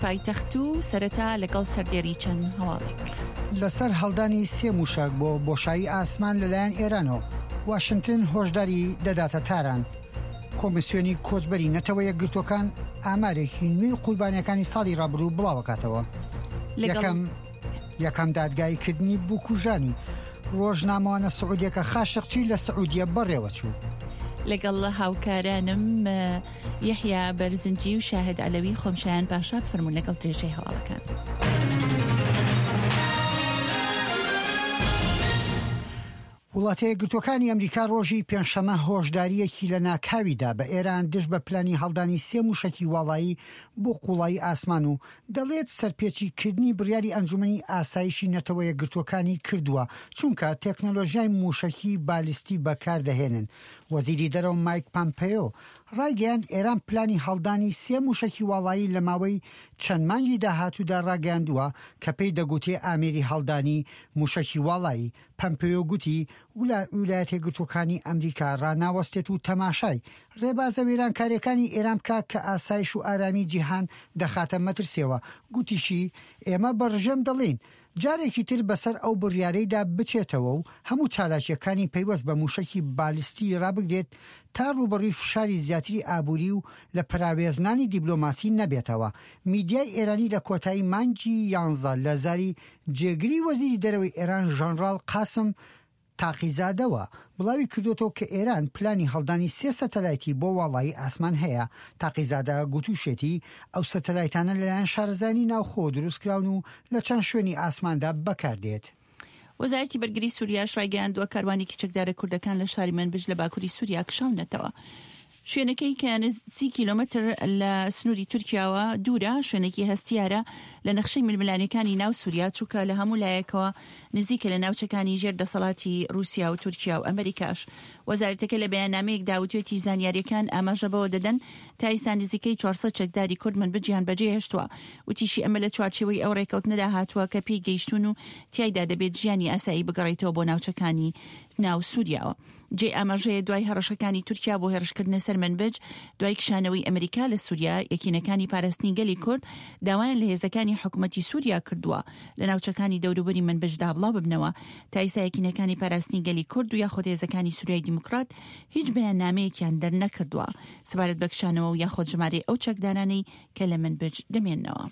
پایتەخت و سەرەتا لەگەڵ سەردێری چەند هەواڵێک. لەسەر هەڵدانی سێ مووشەک بۆ بۆشایی ئاسمان لەلایەن ئێرانەوە، واشنتن هۆشداری دەداتە تاران. کۆمیسیۆنی کۆچبەری نەتەوە یەکگرتووەکان ئامارێکی نوێی قوربانیەکانی ساڵی ڕابردوو بڵاوەکاتەوە. یەکەم یەکەم دادگاییکردنی بکوژانی ڕۆژنامەوانە سعودیەکە خاشقچی لە سعودیە بەڕێوەچوو. لەگەڵ هاوکارانم یەحیا بەرزنجی و شاهد عەلەوی خۆم شایان پاشا بفەرموون لەگەڵ درێژەی هەواڵەکان. وڵاتە یەکگرتووەکانی ئەمریکا ڕۆژی پێنجشەممە هۆشدارییەکی لەناکاوی دا بە ئێران دژ بە پلانی هەڵدانی سێ مووشەکی واڵایی بۆ قووڵایی ئاسمان و دەڵێت سەرپێچی کردنی بڕیاری ئەنجومەنی ئاسایشی نەتەوە یەکگرتووەکانی کردووە چونکە تێکنۆلۆژیای مووشەکی بالیستی بەکار دەهێنن. وەزیری دەرەوە مایک پامپێیۆ ڕایگەیاند ئێران پلانی هەڵدانی سێ مووشەکی واڵایی لە ماوەی چەند مانگی داهاتوودا ڕاگەیاندووە کە پێی دەگوترێ ئامێری هەڵدانی مووشەکی واڵایی. پەمپێیۆ گوتی، ویلایەتەیەکگرتووەکانی ئەمریکا ڕاناوەستێت و تەماشای ڕێبازە وێرانکارییەکانی ئێران بکات کە ئاسایش و ئارامی جیهان دەخاتە مەترسیەوە، گوتیشی، ئێمە بە ڕژێم دەڵێین جارێکی تر بەسەر ئەو بڕیارەیدا بچێتەوە و هەموو چالاکییەکانی پەیوەست بە مووشەکی بالستی ڕابگرێت تا ڕووبەڕووی فشاری زیاتری ئابووری و لە پەراوێزنانی دیبلۆماسی نەبێتەوە. میدیای ئێرانی لە کۆتایی مانگی یانزە لە زاری جێگری وەزیری دەرەوەی ئێران ژەنڕاڵ قاسم تاقیزادەوە بڵاوی کردۆتەوە کە ئێران پلانی هەڵدانی سێ سەتەلایتی بۆ واڵایی ئاسمان هەیە. تاقیزادە گوتوشێتی ئەو سەتەلایتانە لەلایەن شارەزایانی ناوخۆ دروستکراون و لە چەند شوێنی ئاسماندا بەکاردێت. وەزارەتی بەرگری سوریاش ڕایگەیاندووە کاروانێکی چەکدارە کوردەکان لە شاری مەنبج لە باکوری سوریا کشاونەتەوە. شوێنەکەی کە 30 کیلۆمەتر لە سنووری تورکیاوە دوورە، شوێنێکی هەستیارە لە نەخشەی ململانێکانی ناو سووریا، چونکە لە هەموو لایەکەوە نزیکە لە ناوچەکانی ژێر دەسەڵاتی رووسیا و تورکیا و ئەمریکاش. وەزارەتەکە لە بەیاننامەیەکدا وتوێتی زانیارییەکان ئاماژە بەوە دەدەن تا ئیستا نزیکەی 400 چەکداری کورد منبجیان بەجێهێشتووە. وتیشی ئەمە لە چوارچێوەی ئەو رێککەوتنەدا هاتووە کە پێی گەیشتوون و تیایدا دەبێت ژیانی ئاسایی بگەڕیتەوە بۆ ناوچەکانی ناو سووریاوە. جێی ئاماژەیە دوای هەڕەشەکانی تورکیا بۆ هێڕشکردنە سەر مەنبج دوای کشانەوەی ئەمریکا لە سووریا، یەکینەکانی پاراستنی گەلی کورد داوایان لە هێزەکانی حکومەتی سووریا کردووە لە ناوچەکانی دەوروبەری مەنبجدا بڵاو ببنەوە. تا ئیستا یەکینەکانی پاراستنی گەلی کورد و یاخود هێزەکانی سووریای دیموکرات هیچ بەیاننامەیەکیان دەرنەکردووە سەبارەت بە کشانەوە و یاخود ژمارەی ئەو چەکدارانەی کە لە مەنبج دەمێننەوە.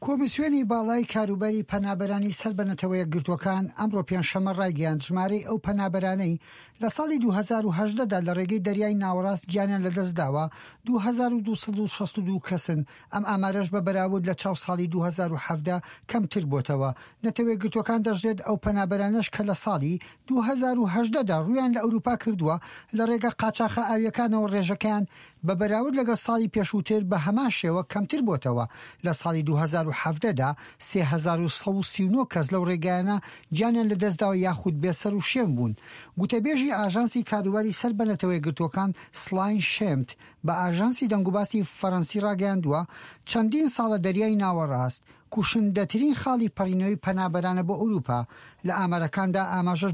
کۆمیسیۆنی باڵای کاروباری پەنابەرانی سەر بە نەتەوەیەکگرتووەکان ئەمڕۆ پێنجشەممە ڕایگەیاند، ژمارەی ئەو پەنابەرانەی لە ساڵی 2018 دا لە ڕێگەی دەریای ناوەڕاست گیانیان لەدەستداوە 2262 کەسن، ئەم ئامارەش بە بەراورد لە چاو ساڵی 2017 کەمتر بۆتەوە. نەتەوەیەکگرتووەکان دەشڵێت، ئەو پەنابەرانەش کە لە ساڵی 2018 دا ڕوویان لە ئەوروپا کردووە لە ڕێگە قاچاخە ئاوییەکانەوە ڕێژەکەیان بە بەراورد لەگەڵ ساڵی پێشووتر بە هەمان شێوە کەمتر بۆتەوە، لە ساڵی 2017 دا 3139 کەس لەو ڕێگایانە گیانیان لەدەستداوە یاخود بێسەروشوێن بوون. گوتەبێژی ئاژانسی کاروباری سەر بە نەتەوەیەکگرتووەکان سلاین شێمت بە ئاژانسی دەنگوباسی فەرەنسی ڕاگەیاندووە، چەندین ساڵە دەریای ناوەڕاست کوشندەترین خاڵی پەڕینەوەی پەنابەرانە بۆ ئەوروپا، لە ئامارەکاندا ئاماژەش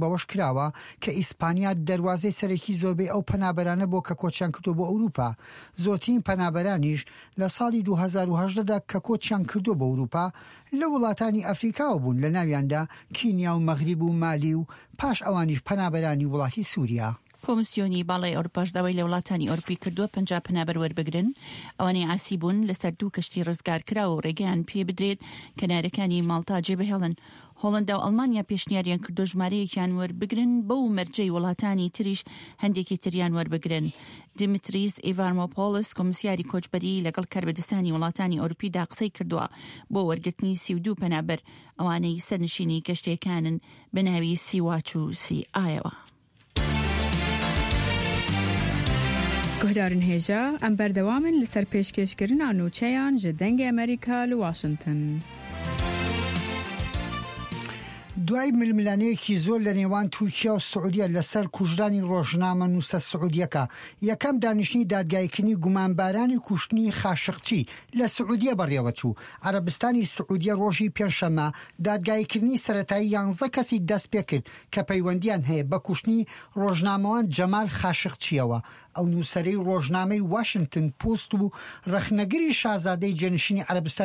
بەوەش کراوە کە ئیسپانیا دەروازەی سەرەکی زۆربەی ئەو پەنابەرانە بووە کە کۆچیان کردووە بۆ ئەوروپا، زۆرترین پەنابەرانیش لە ساڵی 2018 دا کە کۆچیان کردووە بۆ ئەوروپا لە وڵاتانی ئەفریکاوە بوون لەناویاندا کینیا و مەغریب و مالی و پاش ئەوانیش پەنابەرانی وڵاتی سوریا. کۆمسیۆنی باڵای ئەوروپاش داوای لە وڵاتانی ئەوروپی کردووە 50 پەنابەر وەربگرن، ئەوانەی عاسی بوون لەسەر دوو کەشتی ڕزگارکراو و ڕێگەیان پێ بدرێت کەنارەکانی ماڵتا جێبهێڵن. هۆڵەندا و ئەڵمانیا پێشنیاریان کردووە ژمارەیەکیان وەربگرن بەو مەرجەی وڵاتانی تریش هەندێکی تریان وەربگرن. دیمیتریس ئیڤارمۆپۆڵس کۆمسیاری کۆچبەری لەگەڵ کاربەدەستانی وڵاتانی ئەوروپیدا قسەی کردووە بۆ وەرگرتنی 32 پەنابەر ئەوانەی سەرنشینی کەشتییەکانن بە ناوی سی واچ و سی ئایەوە. Guhdarên hêja, em berdewam in li ser pêşkêşkirina nûçeyan ji Dengê Amerîka li Washington. دوای ململانێیەکی زۆر لە نێوان تورکیا و سعودیە لەسەر کوژرانی ڕۆژنامەنووسە سعودیەکە، یەکەم دانیشتنی دادگاییکردنی گومانبارانی کوشتنی خاشقچی لە سعودیە بەڕێوەچوو. عەرەبستانی سعودیە ڕۆژی پێنجشەممە دادگاییکردنی سەرەتایی یانزە کەسی دەستپێکرد کە پەیوەندییان هەیە بە کوشتنی ڕۆژنامەوان جەمال خاشقچییەوە، ئەو نووسەرەی ڕۆژنامەی واشنتن پۆست و ڕەخنەگری شازادەی جێنشینی عەرەبستانی.